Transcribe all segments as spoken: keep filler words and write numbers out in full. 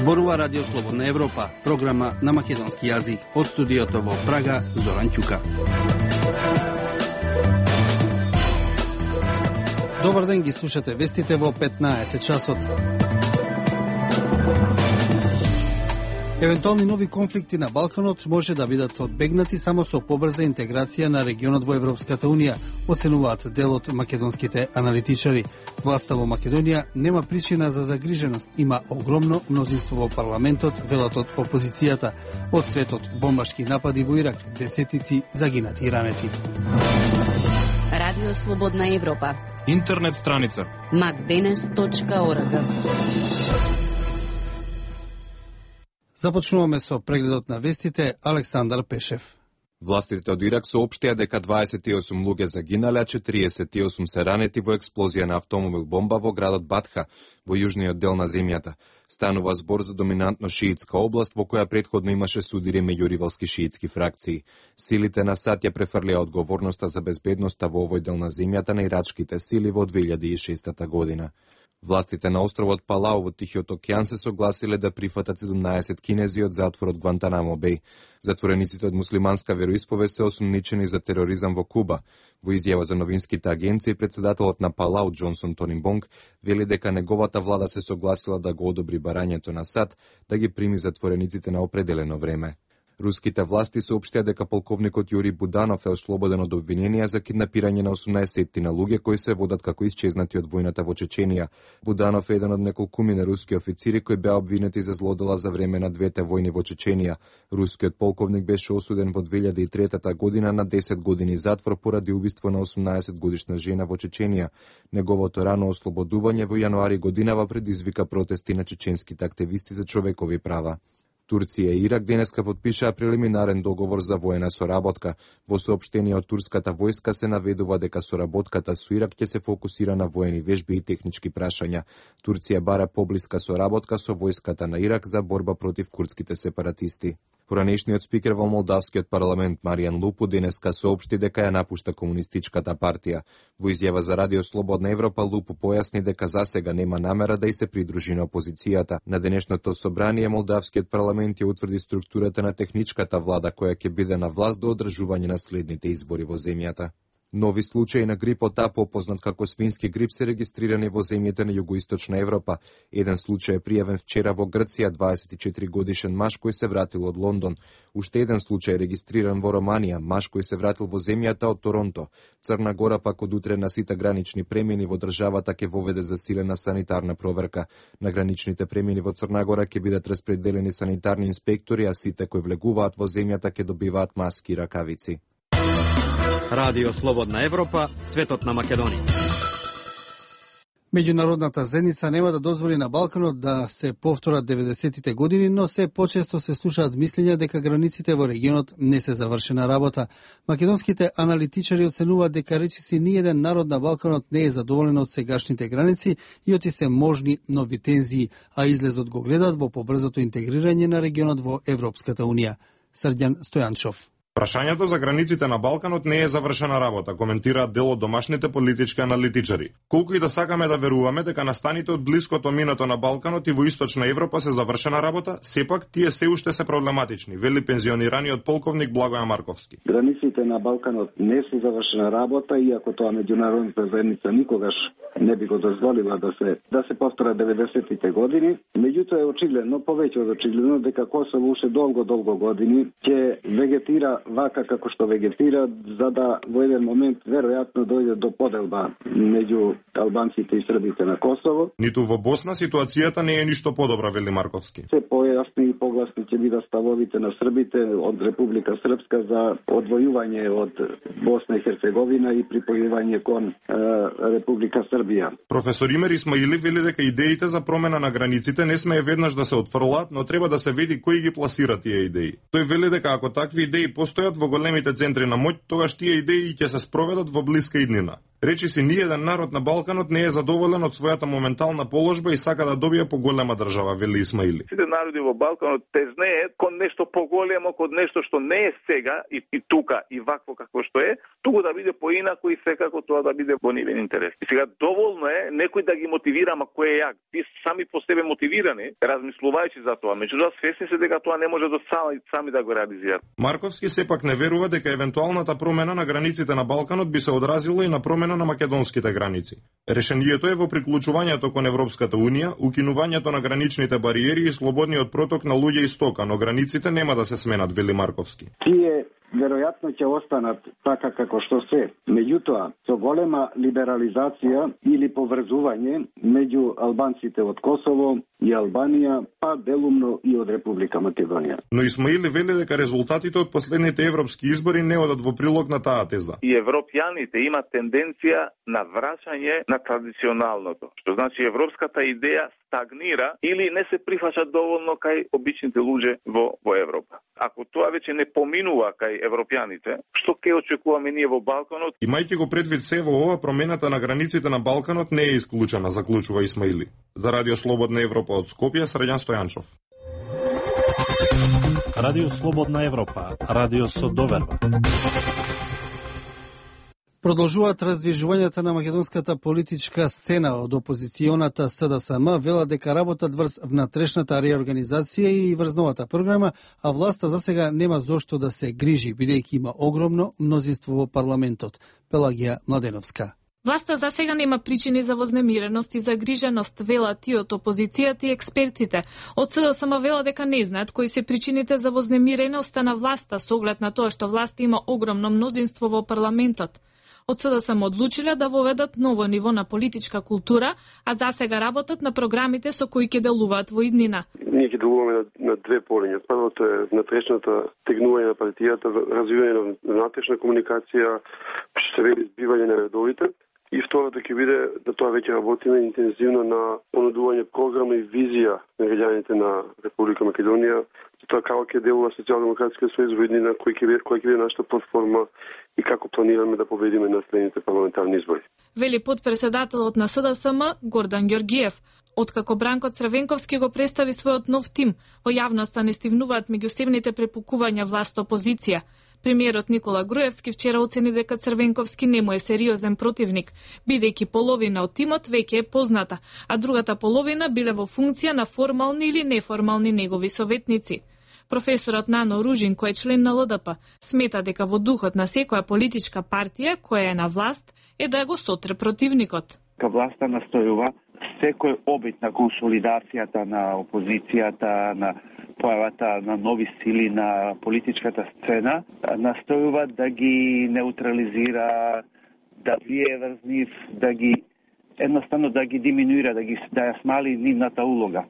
Зборува Радио Слободна Европа, програма на македонски јазик. Од студиото во Прага, Зоран Ќука. Добар ден, ги слушате вестите во петнаесет часот. Евентуални нови конфликти на Балканот може да бидат одбегнати само со побрза интеграција на регионот во Европската Унија, оценуваат дел од македонските аналитичари. Власта во Македонија нема причина за загриженост, има огромно мнозинство во парламентот, велат од опозицијата. Од светот бомбашки напади во Ирак, десетици загинати и ранети. Радио Слободна Европа. Интернет страница макденес точка орг. Започнуваме со прегледот на вестите. Александар Пешев. Властите од Ирак соопштија дека дваесет и осум луѓе загинале, а четириесет и осум се ранети во експлозија на автомобил бомба во градот Батха, во јужниот дел на земјата. Станува збор за доминантно шиитска област во која претходно имаше судири меѓу ривалски шиитски фракции. Силите на САД ја префрлија одговорноста за безбедноста во овој дел на земјата на ирачките сили во две илјади и шеста година. Властите на островот Палау во Тихиот океан се согласиле да прифатат седумнаесет кинези од затворот Гвантанамо Беј. Затворениците од муслиманска вероисповест се осумничени за тероризам во Куба. Во изјава за новинските агенции, председателот на Палау Џонсон Тонимбонг вели дека неговата влада се согласила да го одобри барањето на САД да ги прими затворениците на определено време. Руските власти соопштија дека полковникот Јури Буданов е ослободен од обвиненија за киднапирање на осумнаесеттина луѓе кои се водат како исчезнати од војната во Чеченија. Буданов е еден од неколкумина руски официри кои беа обвинети за злодела за време на двете војни во Чеченија. Рускиот полковник беше осуден во две илјади и трета година на десет години затвор поради убиство на осумнаесет годишна жена во Чеченија. Неговото рано ослободување во јануари годинава предизвика протести на чеченските активисти за човекови права. Турција и Ирак денеска потпишаа прелиминарен договор за воена соработка. Во соопштение од турската војска се наведува дека соработката со Ирак ќе се фокусира на воени вежби и технички прашања. Турција бара поблиска соработка со војската на Ирак за борба против курдските сепаратисти. Поранешниот спикер во Молдавскиот парламент Маријан Лупу денеска соопшти дека ја напушта комунистичката партија. Во изјава за Радио Слободна Европа Лупу појасни дека засега нема намера да и се придружи на опозицијата. На денешното собрание Молдавскиот парламент ја утврди структурата на техничката влада која ќе биде на власт до одржување на следните избори во земјата. Нови случаи на грипот А, попознат како свински грип, се регистрирани во земјите на југоисточна Европа. Еден случај е пријавен вчера во Грција, дваесет и четири годишен маж кој се вратил од Лондон. Уште еден случај е регистриран во Романија, маж кој се вратил во земјата од Торонто. Црна Гора пак од утре на сите гранични премини во државата ќе воведе засилена санитарна проверка. На граничните премини во Црна Гора ќе бидат распределени санитарни инспектори, а сите кои влегуваат во земјата ќе добиваат маски и ракавици. Радио Слободна Европа, светот на Македонија. Меѓународната заедница нема да дозволи на Балканот да се повторат деветдесетите години, но се почесто се слушаат мислења дека границите во регионот не се завршена работа. Македонските аналитичари оценуваат дека речиси ниеден народ на Балканот не е задоволен од сегашните граници и оти се можни нови тензии, а излезот го гледаат во побрзото интегрирање на регионот во Европската Унија. Срđan Стојанчов. Прашањето за границите на Балканот не е завршена работа, коментираат дел од домашните политички аналитичари. Колку и да сакаме да веруваме дека настаните од блиското минато на Балканот и во Источна Европа се завршена работа, сепак тие се уште се проблематични, вели пензионираниот полковник Благоја Марковски. Границите на Балканот не се завршена работа, иако тоа меѓународната заедница никогаш не би го дозволила да се да се повторат деветдесетите години. Меѓутоа е очигледно, повеќе од очигледно, дека Косово уште долго долго години ќе вегетира вака како што вегетира, за да во еден момент веројатно дојде до поделба меѓу албанците и србите на Косово. Ниту во Босна ситуацијата не е ништо подобра, вели Марковски. Се појасни и погласни ќе бидат ставовите на србите од Република Српска за одвојување од Босна и Херцеговина и припојување кон е, Република Србија. Професор Имер Исмаили вели дека идеите за промена на границите не смее веднаш да се отфрлаат, но треба да се види кои ги пласира тие идеи. Тој вели дека ако такви идеи постојат во големите центри на моќ, тогаш тие идеи ќе се спроведат во блиска иднина. Речи си, ниеден народ на Балканот не е задоволен од својата моментална положба и сака да добие поголема држава, вели Исмаили. Сите народи во Балканот тезнеат кон нешто поголемо, кон нешто што не е сега и, и тука и вакво како што е, туку да биде поинако и секако тоа да биде во нивен интерес. И сега доволно е некој да ги мотивира, ама кој е јак. Ти сами по себе мотивирани, размислувајќи за тоа, меѓутоа свесни се дека тоа не може да сами, сами да го реализираат. Марковски сепак не верува дека евентуалната промена на границите на Балканот би се одразила и на промена на македонските граници. Решението е во приклучувањето кон Европската унија, укинувањето на граничните бариери и слободниот проток на луѓе и стока, но границите нема да се сменат, вели Марковски. Тие веројатно ќе останат така како што се. Меѓутоа, со голема либерализација или поврзување меѓу албанците од Косово и Албанија, па делумно и од Република Македонија. Но Исмаили вели дека резултатите од последните европски избори не одат во прилог на таа теза. И европјаните имаат тенденција на враќање на традиционалното, што значи европската идеја стагнира или не се прифаќа доволно кај обичните луѓе во, во Европа. Ако тоа веќе не поминува кај европјаните, што ќе очекуваме ние во Балканот? Имајќи го предвид се во ова, промената на границите на Балканот не е исклучена, заклучува Исмаили. За Радио Слободна Европа од Скопје, Средјан Стојанчов. Радио Слободна Европа, радио со доверба. Продолжуваат раздвижувањата на македонската политичка сцена од опозиционата С Д С М, велат дека работат врз внатрешната реорганизација и врз новата програма, а власта засега нема зошто да се грижи, бидејќи има огромно мнозинство во парламентот. Пелагија Младеновска. Власта засега нема причини за вознемиреност и загриженост, велат и од опозицијата и експертите. Од С Д С М вела дека не знаат кои се причините за вознемиреноста на власта со оглед на тоа што власта има огромно мнозинство во парламентот. Од С Д С М одлучиле да воведат ново ниво на политичка култура, а засега работат на програмите со кои ќе делуваат во иднина. Ние ќе делуваме на, на две полиња. Првото е внатрешната тегнување на партијата, развивање на внатрешна комуникација, што се вели збивање на редовите. И второто ќе биде да тоа веќе работиме интензивно на понудување програма и визија на граѓаните на Република Македонија, тоа како ќе делува Социјалдемократскиот сојуз во иднина, кој ќе биде, кој ќе биде нашата платформа и како планираме да победиме на следните парламентарни избори. Вели подпредседателот на С Д С М Гордан Ѓоргиев. Откако Бранко Црвенковски го представи својот нов тим, во јавноста не стивнуваат меѓусебните препукувања власт-опозиција. Премиерот Никола Груевски вчера оцени дека Црвенковски не му е сериозен противник, бидејќи половина од тимот веќе е позната, а другата половина биле во функција на формални или неформални негови советници. Професорот Нано Ружин, кој е член на Л Д П, смета дека во духот на секоја политичка партија која е на власт е да го сотре противникот. Ка власта настојува секој обид на консолидацијата на опозицијата, на појавата на нови сили на политичката сцена, настојува да ги неутрализира, да влие врз нив, да ги едноставно да ги диминуира, да ги да ја смали нивната улога.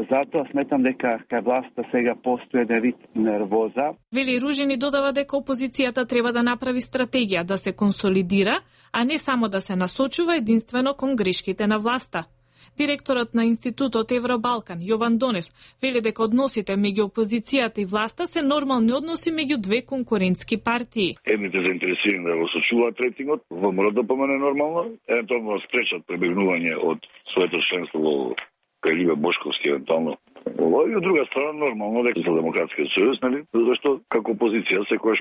Затоа сметам дека кај власта сега постои еден вид нервоза. Вели Ружини додава дека опозицијата треба да направи стратегија, да се консолидира, а не само да се насочува единствено кон грешките на власта. Директорот на Институтот Евробалкан, Јован Донев, вели дека односите меѓу опозицијата и власта се нормални односи меѓу две конкурентски партии. Едните заинтересирани да го сочуваат рейтингот, ВМРО да помене нормално, евентуално да спречат пребегнување од своето членство во кај Ливе Бошковски евентуално. И од друга страна нормално дека за Демократскиот сојуз, нели, зашто како опозиција секогаш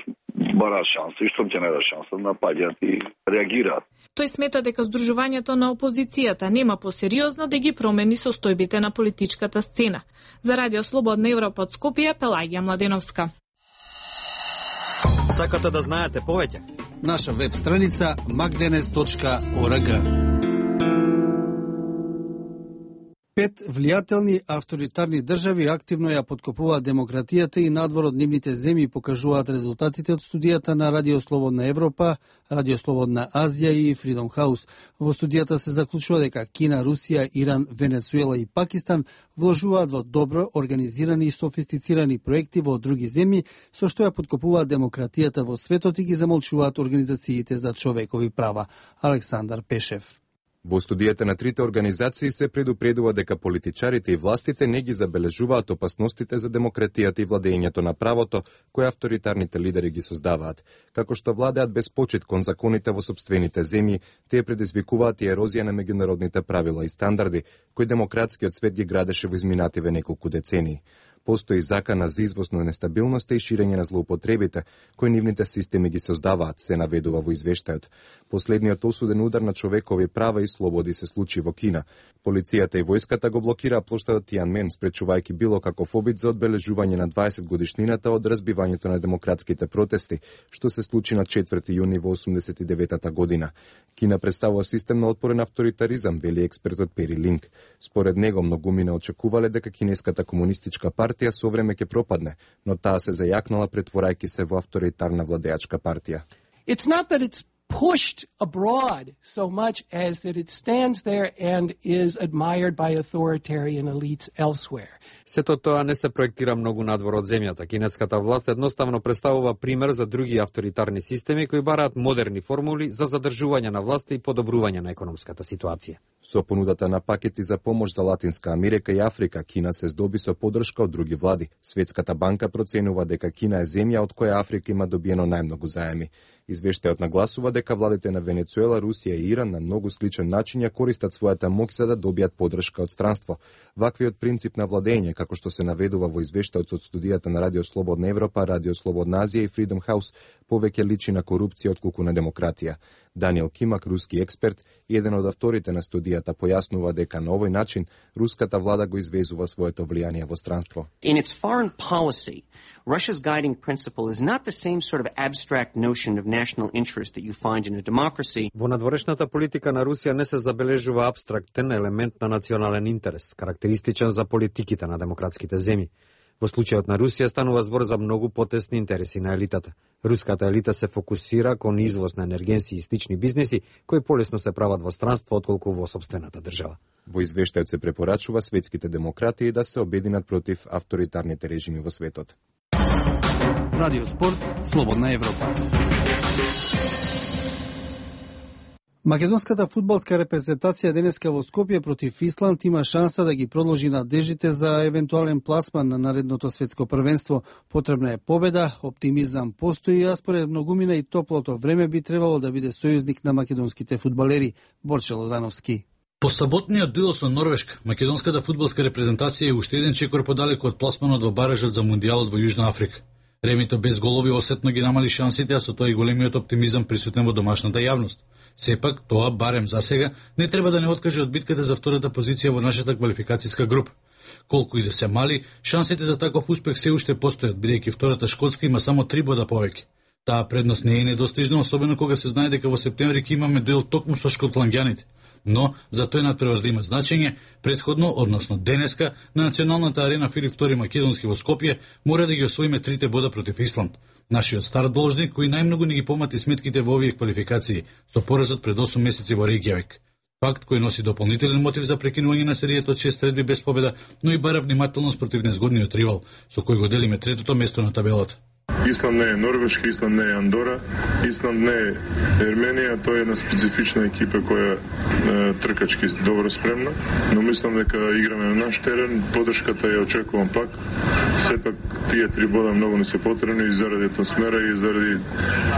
бара шанса и што ќе најде шанса напаѓаат и реагираат. Тој смета дека здружувањето на опозицијата нема посериозно да ги промени состојбите на политичката сцена. За Радио Слободна Европа од Скопје, Пелагија Младеновска. Сакате да знаете повеќе? Наша веб страница макденес точка орг. Пет влијателни авторитарни држави активно ја подкопуваат демократијата и надвор од нивните земји, покажуваат резултатите од студијата на Радио Слободна Европа, Радио Слободна Азија и Freedom House. Во студијата се заклучува дека Кина, Русија, Иран, Венецуела и Пакистан вложуваат во добро организирани и софистицирани проекти во други земји, со што ја подкопуваат демократијата во светот и ги замолчуваат организациите за човекови права. Александар Пешев. Во студијата на трите организации се предупредува дека политичарите и властите не ги забележуваат опасностите за демократијата и владењето на правото кои авторитарните лидери ги создаваат. Како што владеат без почит кон законите во сопствените земји, тие предизвикуваат и ерозија на меѓународните правила и стандарди кои демократскиот свет ги градеше во изминативе неколку децении. Постои закана за извоз на нестабилноста и ширење на злоупотребите кои нивните системи ги создаваат, се наведува во извештајот. Последниот осуден удар на човекови права и слободи се случи во Кина. Полицијата и војската го блокираа плоштадот Тианмен, спречувајќи било каков обид за одбележување на дваесет годишнината од разбивањето на демократските протести, што се случи на четврти јуни во осумдесет и деветата година. Кина представува систем на отпорен авторитаризам, вели експертот Пери Линк. Според него, многумина очекувале дека кинеската комунистичка партија со време ќе пропадне, но таа се зајакнала претворајќи се во авторитарна владеачка партија. It's not that it's pushed abroad so much as that it stands there and is admired by authoritarian elites elsewhere. Сето тоа не се проектира многу надвор од земјата. Кинеската власт едноставно представува пример за други авторитарни системи кои бараат модерни формули за задржување на власта и подобрување на економската ситуација. Со понудата на пакети за помош за Латинска Америка и Африка, Кина се здоби со поддршка од други влади. Светската банка проценува дека Кина е земја од која Африка има добиено најмногу заеми. Извештајот нагласува дека владите на Венецуела, Русија и Иран на многу сличен начин ја користат својата моќ за да добијат поддршка од странство. Ваквиот принцип на владење, како што се наведува во извештајот од студијата на Радио Слободна Европа, Радио Слободна Азија и Freedom House, повеќе личи на корупција отколку на демократија. Даниел Кимак, руски експерт и еден од авторите на студијата, појаснува дека на овој начин руската влада го извезува своето влијание во странство. In its foreign policy, Russia's guiding principle is not the same sort of abstract notion of national interest that you find in a democracy. Во надворешната политика на Русија не се забележува абстрактен елемент на национален интерес, карактеристичен за политиките на демократските земји. Во случајот на Русија станува збор за многу потесни интереси на елитата. Руската елита се фокусира кон извоз на енергенси и слични бизнеси, кои полесно се прават во странство отколку во сопствената држава. Во извештајот се препорачува светските демократии да се обединат против авторитарните режими во светот. Радио Спорт, Слободна Европа. Македонската фудбалска репрезентација денеска во Скопје против Исланд има шанса да ги продолжи надеждите за евентуален пласман на наредното светско првенство. Потребна е победа, оптимизам постои, а според многумина и топлото време би требало да биде сојузник на македонските фудбалери. Борче Лозановски. По саботниот дуел со Норвешка, македонската фудбалска репрезентација е уште еден чекор подалеку од пласманот во баражот за мундијалот во Јужна Африка. Ремито без голови осетно ги намали шансите, а со тоа и големиот оптимизам присутен во домашната јавност. Сепак, тоа, барем за сега, не треба да не откаже од битката за втората позиција во нашата квалификацијска група. Колку и да се мали, шансите за таков успех се уште постојат, бидејќи втората шкотска има само три бода повеќе. Таа предност не е недостижна, особено кога се знае дека во септември ќе имаме дуел токму со шкотланѓаните. Но, за тој надпревар да има значење, предходно, односно денеска, на националната арена Филип втори Македонски во Скопје, мора да ги освоиме трите бода против Исланд. Нашиот стар должник, кој најмногу ни ги помати сметките во овие квалификации, со поразот пред осум месеци во Рејкјавик. Факт кој носи дополнителен мотив за прекинување на серијата од шест средби без победа, но и бара внимателност против незгодниот ривал, со кој го делиме третото место на табелата. Исланд не е Норвешка, Исланд не е Андора, Исланд не е Ерменија, тоа е една специфична екипа која е тркачки добро спремна, но мислам дека играме на наш терен, поддршката ја очекувам пак. Сепак тие три бода многу не се потребни и заради атмосфера и заради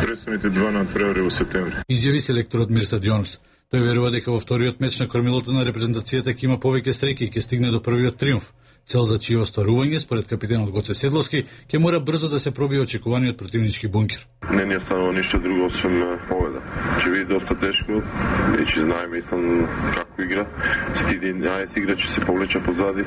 престојните два надпревари во септември. Изјави селекторот Мирсад Јонус. Тој верува дека во вториот меч на кормилото на репрезентацијата ќе има повеќе среќи и ќе стигне до првиот триумф. Цел за чие остварување, според капитенот Гоце Седловски, ќе мора брзо да се пробие очекуваниот противнички бункер. Не ни останува ништо друго освен победа. Ќе биде доста тешко, веќе знаеме Исланд како игра. Стиди единаесет играчи се повлеча позади.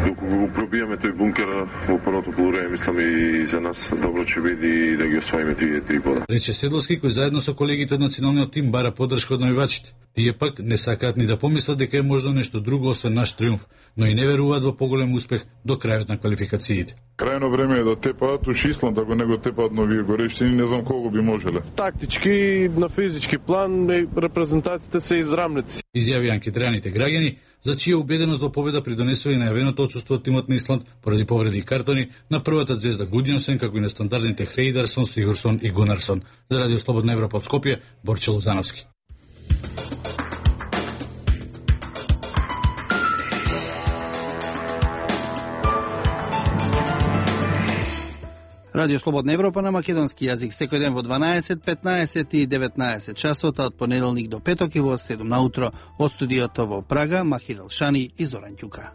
Докога го пробиеме тој бункер во првото полувреме, мислам и за нас добро ќе биде да ги освоиме тие три бода. Рече Седловски, кој заедно со колегите од националниот тим бара поддршка од навивачите. Тие пак не сакаат ни да помислат дека е можно нешто друго освен наш триумф, но и не веруваат во поголем успех до крајот на квалификациите. Крајно време е да тепаат уш Исланд, ако не го тепаат новие горештини, не знам колку би можеле. Тактички, на физички план, репрезентациите се израмнети. Изјави анкетираните граѓани, за чија убеденост во победа придонесува и најавеното отсуство од тимот на Исланд поради повреди и картони на првата звезда Гудјонсен, како и на стандардните Хрейдарсон, Сигурсон и Гунарсон. За Радио Слободна Европа од Скопје, Борче Лозановски. Радио Слободна Европа на македонски јазик секој ден во дванаесет, петнаесет и деветнаесет часот од понеделник до петок и во седум наутро од студиото во Прага Махир Елшани и Зоран Ќука.